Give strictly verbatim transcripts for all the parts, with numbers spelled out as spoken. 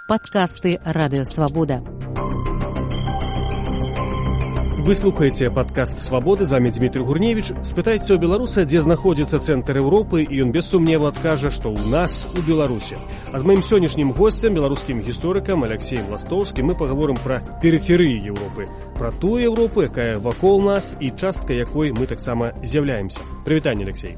Падкасты Радыёвабода. Вы слухаеце падкаст «Свабоды», з вами Дмітрий Гурневич. Спытайце ў беларуса, дзе знаходзіцца цэнтр Еўропы, і ён без сумневу адкажа, што ў нас, у Беларусі. А з маім сённяшнім госцем, беларускім гісторыкам Алексеем Ластоўскім, мы пагаворым пра перыферыі Еўропы, пра тую Еўропу, якая вакол нас і частка якой мы таксама з'яўляемся. Прывітанне, Алексей.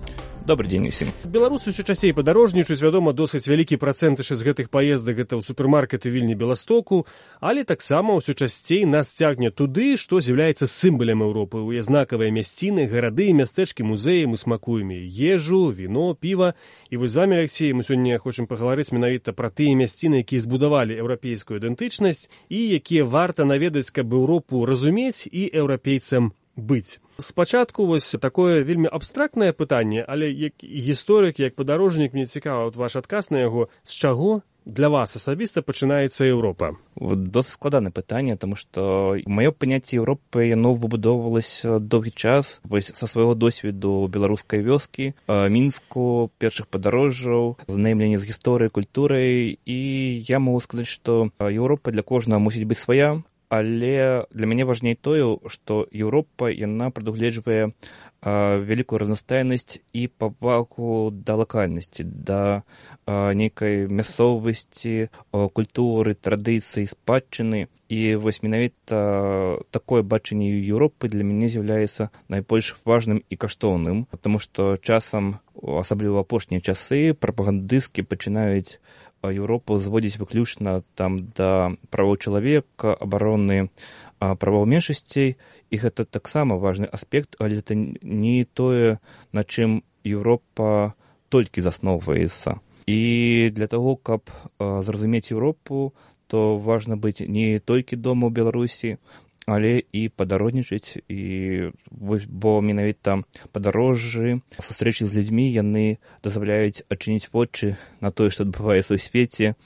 Добрый день усім. Беларусы ўсё часцей падарожнічаюць, вядома, досыць вялікі працэнт з гэтых паездак гэта ў супермаркеты Вільні-Беластоку, але таксама ўсё часцей нас цягне туды, што з'яўляецца сімвалем Еўропы. У знакавыя мясціны, гарады, мястэчкі, музеі, мы смакуем ежу, віно, піва. І вось з вами, Алексей, мы сёння хочам пагаварыць менавіта пра тыя мясціны, якія збудавалі еўрапейскую ідэнтычнасць і якія варта наведаць, каб Еўропу разумець і еўрапейцам быць. Спачатку вось такое вельмі абстрактнае пытанне, але як гісторык, як падарожнік, мне цікава вот ваш адказ на яго, з чаго для вас асабіста пачынаецца Еўропа? Досыць складанае пытанне, таму што маё паняцце Еўропы, яно выбудоўвалася доўгі час, вось са свайго досведу беларускай вёскі, Мінску, першых падарожжаў, знаёмлення з гісторыяй, культурай, і я магу сказаць, што Еўропа для кожнага мусіць быць свая. Але для мяне важней тое, што Еўропа, яна прадугледжвае вялікую разнастайнасць і павагу да лакальнасці, да нейкай мясцовасці, культуры, традыцый, спадчыны. І вось менавіта такое бачанне Еўропы для мяне з'яўляецца найбольш важным і каштоўным, таму што часам, асабліва апошнія часы, прапагандысцкі пачынаюць Еўропу зводзіць выключна там да правоў чалавека, абароны правоў меншасцей, і гэта таксама важны аспект, але это не тое, на чым Еўропа толькі засноўваецца. І для таго, каб зразумець Еўропу, то важна быць не толькі дома ў Беларусі, але і падарожнічаць, і бо менавіта падарожжы, сустрэчы з людзьмі, яны дазваляюць адчыніць вочы на тое, што адбываецца ў свеце,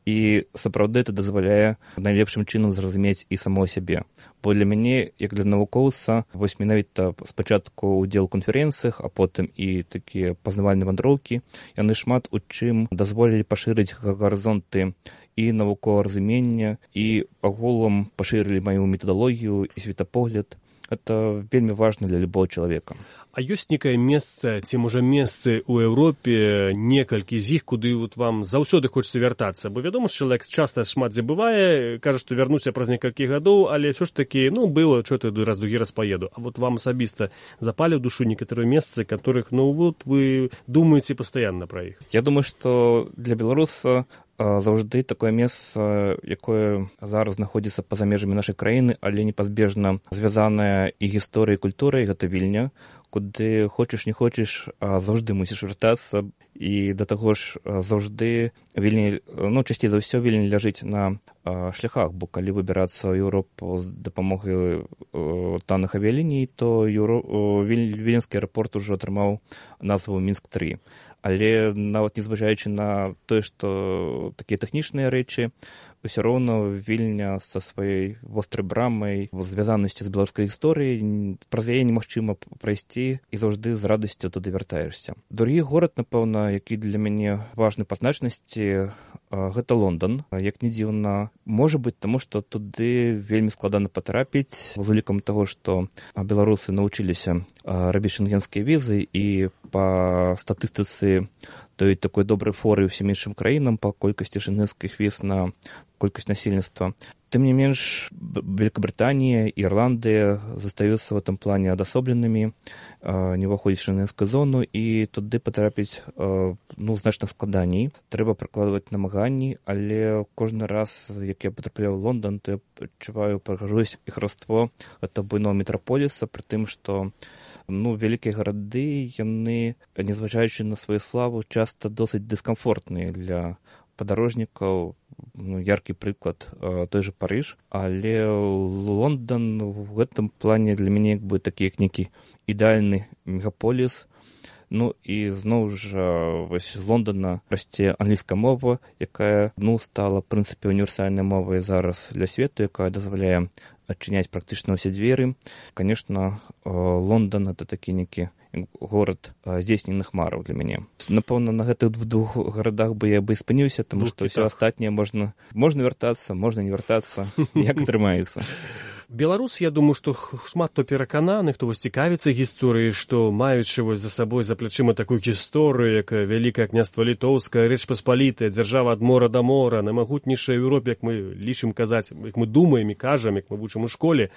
і сапраўды это дазваляе найлепшым чынам зразумець і самого сябе. Бо для мяне, як для навукоўца, вось менавіта спачатку ўдзел у канферэнцыях, а потым і такія пазнавальныя вандроўкі, яны шмат у чым дазволілі пашырыць гарызонты і навуковага разумення, і агулам пашырылі маю метадалогію і светапогляд. Это вельмі важна для любого чалавека. А ёсць некае месца, ці можа месцы ў Еўропе, некалькі з іх, куды вот вам заўсёды хочацца вяртацца? Бо вядома, што чалавек часта шмат дзе бывае, кажа, што вярнуся праз некалькі гадоў, але ўсё ж такі, ну, было, што ты раз другі раз паеду. А вот вам асабіста запалі ў душу некаторыя месцы, которых, ну, вот вы думаеце пастаянна пра іх? Я думаю, што для беларуса заўжды такое месца, якое зараз знаходзіцца па-за межамі нашай краіны, але непазбежна звязанае і гісторыяй, і культурай, гэта Вільня, куды хочаш не хочаш, заўжды мусіш вяртацца, і да таго ж заўжды Вільня, ну, часцей за ўсё Вільня ляжыць на шляхах, бо калі выбірацца ў Еўропу з дапамогай танных авіяліній, то Віленскі аэрапорт ужо атрымаў назву Мінск тры. Але нават незважаючы на тое, што такія тэхнічныя рэчы, ўсё роўна Вільня са сваёй вострай брамай, звязанасцю з беларускай гісторыяй, праз яе немагчыма прайсці, і заўжды з радасцю туды вяртаешся. Другі горад, напэўна, які для мяне важны па значнасці, гэта Лондан. Як не дзіўна, можа быць, таму што туды вельмі складана патрапіць, з улікам таго, што беларусы навучыліся рабіць шэнгенскія візы, і па статыстыцы той такой добрай форы ўсім іншым краінам па колькасці шэнгенскіх віз на колькасць насельніцтва. Тым не менш, Великобританія і Ірландыя застаюцца в этом плане адасобленымі, не ўваходзяць в шэнгенскую зону, і туды патрапіць, ну, значна складаней. Трэба прыкладваць намаганні, але кожны раз, як я патрапляю ў Лондан, то я адчуваю прыгажосць і хараство гэта буйного метраполіса, пры тым, што ну, вялікія гарады, яны, незважаючы на сваю славу, часта досыць дыскамфортныя для падарожнікаў. Ну, яркі прыклад, той же Парыж, але Лондан в гэтым плане для мяне як бы такі як нейкі ідэальны мегаполіс. Ну і зноў жа вось з Лондана расце англійская мова, якая ну стала в прынцыпе універсальнай мовай зараз для свету, якая дазваляе адчыняць практычна ўсе дзверы. Конечно, Лондан это такі нейкі горад здзейсненых мараў для мяне. Напэўна, на гэтых двух гарадах бы я бы спыніўся, таму што ўсё астатняе можна можна вяртацца, можна не вяртацца, як атрымаецца. Беларус, я думаю, што шмат хто перакананы, хто вось цікавіцца гісторыяй, што маючы вось за сабой за плячыма такую гісторыю, як Вялікае княства Літоўскае, Рэч Паспалітая, дзяржава ад мора да мора, наймагутнейшая ў Еўропе, як мы лічым казаць, як мы думаем і кажам, як мы вучым у школе.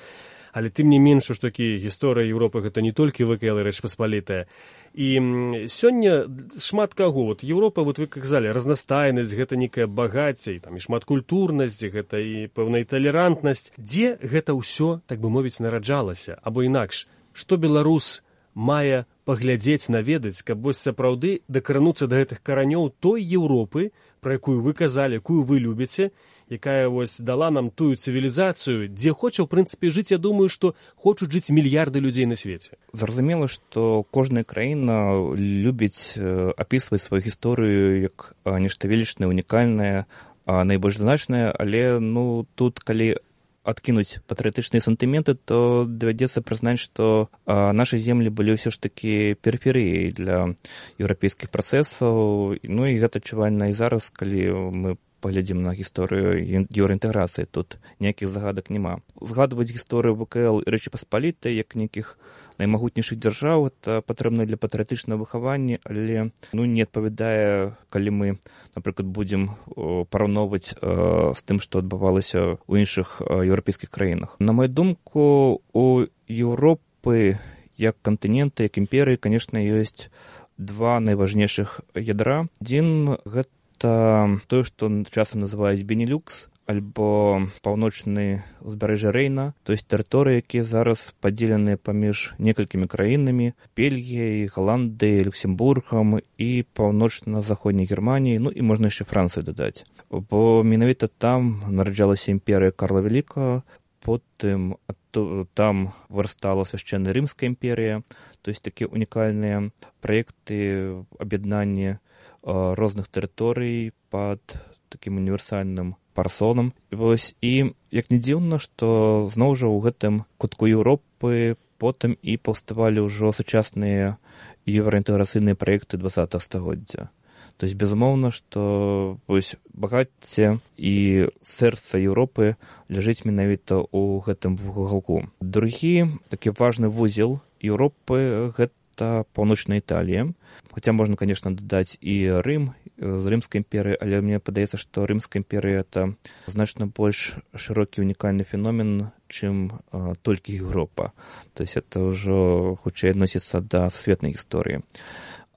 Але тым не менш, што такі гісторыя Еўропы гэта не толькі вэ ка эл і Рэч Паспалітая. І сёння шмат каго, вот Еўропа, вот вы казалі, разнастайнасць, гэта некая багацце, і там і шматкультурнасць, гэта і пэўная талерантнасць. Дзе гэта ўсё, так бы мовіць, нараджалася? Або інакш, што беларус мае паглядзець, наведаць, каб вось сапраўды дакрануцца да гэтых каранёў той Еўропы, пра якую вы казалі, якую вы любіце, якая вось дала нам тую цывілізацыю, дзе хоча, ў прынцыпе, жыць, я думаю, што хочуць жыць мільярды людзей на свеце. Зразумела, што кожная краіна любіць апісваць сваю гісторыю як нешта велічнае, унікальнае, найбольш значнае, але ну, тут, калі адкінуць патрыятычныя сантыменты, то давядзецца прызнаць, што нашы землі былі ўсё ж такі перыферыяй для еўрапейскіх працэсаў, ну і гэта адчувальна і зараз, калі мы паглядзім на гісторыю еўраінтэграцыі, тут ніякіх загадак няма. Згадваць гісторыю вэ ка эл і Рэчы Паспалітай як нейкіх наймагутнейшых дзяржаў, это патрэбна для патрыятычнага выхавання, але ну, не адпавядае, калі мы, напрыклад, будзем параўноўваць э, з тым, што адбывалася ў іншых э, еўрапейскіх краінах. На мою думку, у Еўропы як кантынента, як імперыі, канешне, ёсць два найважнейшых ядра. Адзін — гэта тое, што часам называюць Бенелюкс, альбо паўночны ўзбярэжжа Рэйна, то есть тэрыторыі, якія зараз падзеленыя паміж некалькімі краінамі, Бельгіяй, Галандыяй, Люксембургам і паўночна-заходняй Германіяй, ну і можна яшчэ Францыю дадаць. Бо менавіта там нараджалася імперыя Карла Вялікага, потым там вырастала свяшчэнная Рымская імперія, то есть такія унікальныя праекты аб'яднання розных тэрыторый пад такім універсальным парасонам. Вось, і як не дзіўна, што зноў жа ў гэтым кутку Еўропы потым і паўставалі ўжо сучасныя еўраінтэграцыйныя праекты дваццатага стагоддзя. То есть, безумоўна, што вось, багацце і сэрца Еўропы ляжыць менавіта ў гэтым вугалку. Другі такі важны вузел Еўропы — гэта паўночная Італія. Хаця можна, конечно, дадаць і Рым з Рымскай імперыі, але мне падаецца, што Рымская імперыя — это значна больш шырокі унікальны феномен, чым а, толькі Еўропа. То есть это ўжо хутчэй адносіцца да сусветнай гісторыі.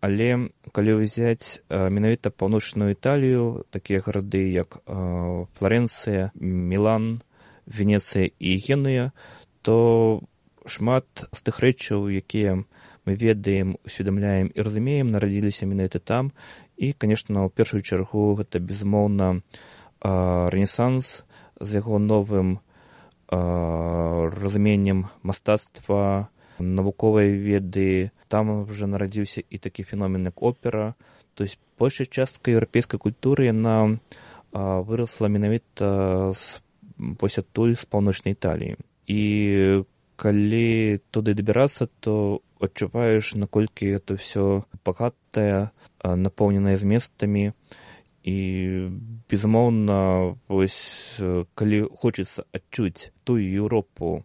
Але калі ўзяць а, менавіта паўночную Італію, такія гарады, як а, Фларэнцыя, Мілан, Венецыя і Генуя, то шмат з тых рэчаў, якія мы ведаем, усведамляем і разумеем, нарадзіліся менавіта там. І, конечно, ў першую чаргу гэта, безумоўна, Рэнесанс з яго новым разуменнем мастацтва, навуковай веды. Там вже нарадзіўся і такі феномен, як опера. То есть большая частка еўрапейскай культуры, яна вырасла менавіта вось адтуль, з паўночнай Італіі. І калі туды дабірацца, то адчуваеш, наколькі это ўсё багатае, напоўненае зместамі. І, безумоўна, вось, калі хочацца адчуць тую Еўропу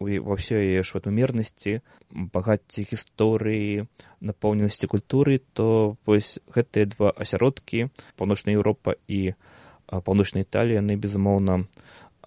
ва ўсёй яе шматмернасці, багацці гісторыі, напоўненасці культуры, то вось гэтыя два асяродкі, паўночная Еўропа і паўночная Італія, яны, безумоўна,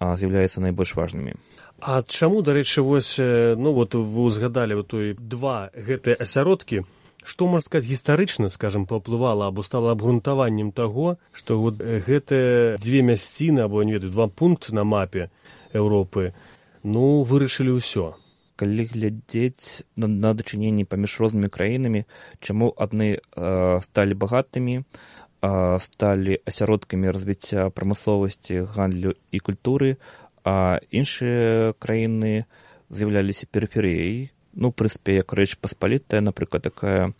з'яўляюцца найбольш важнымі. А чаму, дарэчы, вось, ну, вот вы узгадалі вот той два гэтыя асяродкі, што, можна сказаць, гістарычна, скажам, паўплывала або стала абгрунтаваннем таго, што вот гэтыя дзве мясціны, або, не ведаю, два пункты на мапе Еўропы, ну, вырашылі ўсё. Калі глядзець на, на дачыненні паміж рознымі краінамі, чаму адны э, сталі багатымі, э, сталі асяродкамі развіцця прамысловасці, гандлю і культуры, а іншыя краіны з'яўляліся перыферыяй. Ну, в прынцыпе, як Рэч Паспалітая, напрыклад, такая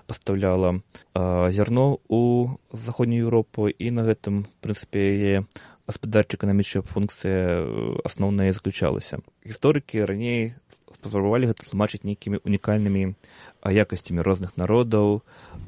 пастаўляла э, зярно ў заходнюю Еўропу, і на гэтым, в прынцыпе, яе гаспадарча-эканамічная функцыя асноўная заключалася. Гісторыкі раней спрабавалі гэта тлумачыць нейкімі унікальнымі якасцямі розных народаў,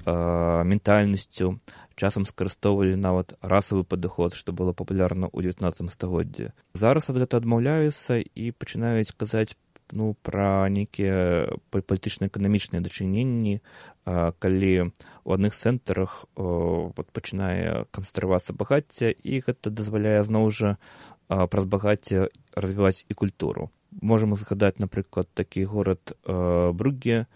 ментальнасцю, часам скарыстоўвалі нават расавы падыход, што было папулярна ў дзевятнаццатым стагоддзі. Зараз ад гэта адмаўляюцца і пачынаюць казаць ну, пра нейкія палітычна-эканамічныя дачыненні, калі ў адных цэнтрах пачынае канцэнтравацца багацце, і гэта дазваляе зноў жа праз багацце развіваць і культуру. Можам згадаць, напрыклад, такі горад Брюгге,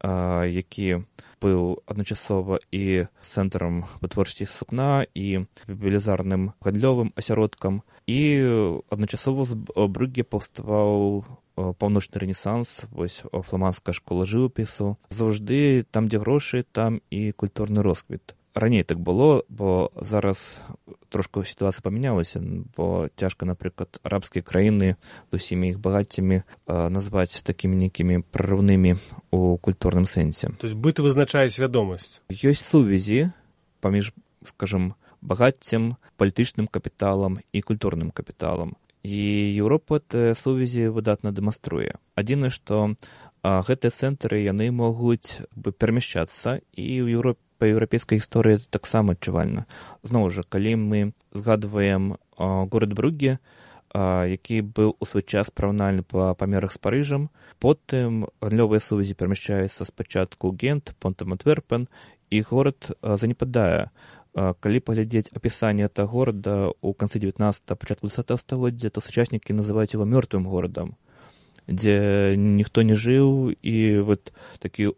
які быў адначасова і цэнтрам вытворчасці сукна, і велізарным гандлёвым асяродкам, і адначасова з Брюгге паўставаў паўночны рэнесанс, вось фламандская школа жывапісу. Заўжды там, дзе грошы, там і культурны росквіт. Раней так было, бо зараз трошку сітуацыя памянялася, бо цяжка, напрыклад, арабскія краіны з усімі іх багаццямі назваць такімі нейкімі прарыўнымі ў культурным сэнсе. То есть быт вызначае свядомасць. Ёсць сувязі паміж, скажам, багаццем, палітычным капіталам і культурным капіталам. І Еўропа гэтыя сувязі выдатна дэманструе. Адзінае, што гэтыя цэнтры, яны могуць перамяшчацца, і ў Еўропе па еўрапейскай гісторыі таксама адчувальна. Зноў жа, калі мы згадваем горад Брюгге, які быў у свой час параўнальны па памерах з Парыжам, потым гандлёвыя сувязі перамяшчаюцца спачатку ў Гент, потым Антверпен, і горад занепадае. Калі паглядзець апісанне гэтага горада ў канцы дзевятнаццатага, пачатку дваццатага стагоддзя, то сучаснікі называюць яго мёртвым горадам, дзе ніхто не жыў, і вот такі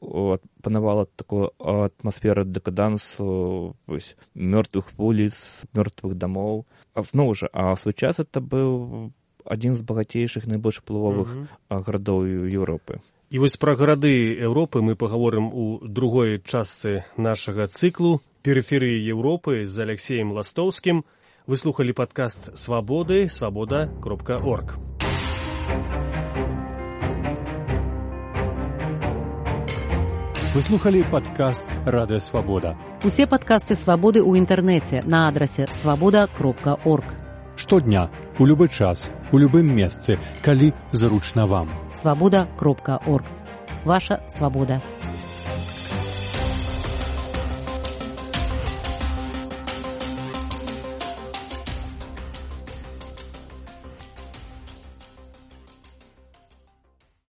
панавала такая атмасфера дэкадансу, мёртвых вуліц, мёртвых дамоў. А зноў жа, а ў свой час это быў адзін з багацейшых, найбольш уплывовых mm-hmm. гарадоў Еўропы. І вось пра гарады Еўропы мы пагаворым у другой частцы нашага цыклу «Периферии Европы» з Алексеем Ластоўскім. Вы слухалі падкаст «Свабоды», свабода кропка орг. Вы слухали падкаст «Радыё Свабода». Усе падкасты «Свабоды» ў інтэрнэце на адрасе свабода кропка орг. Штодня, у любы час, у любым месцы, калі зручна вам. свабода кропка орг. Ваша свабода.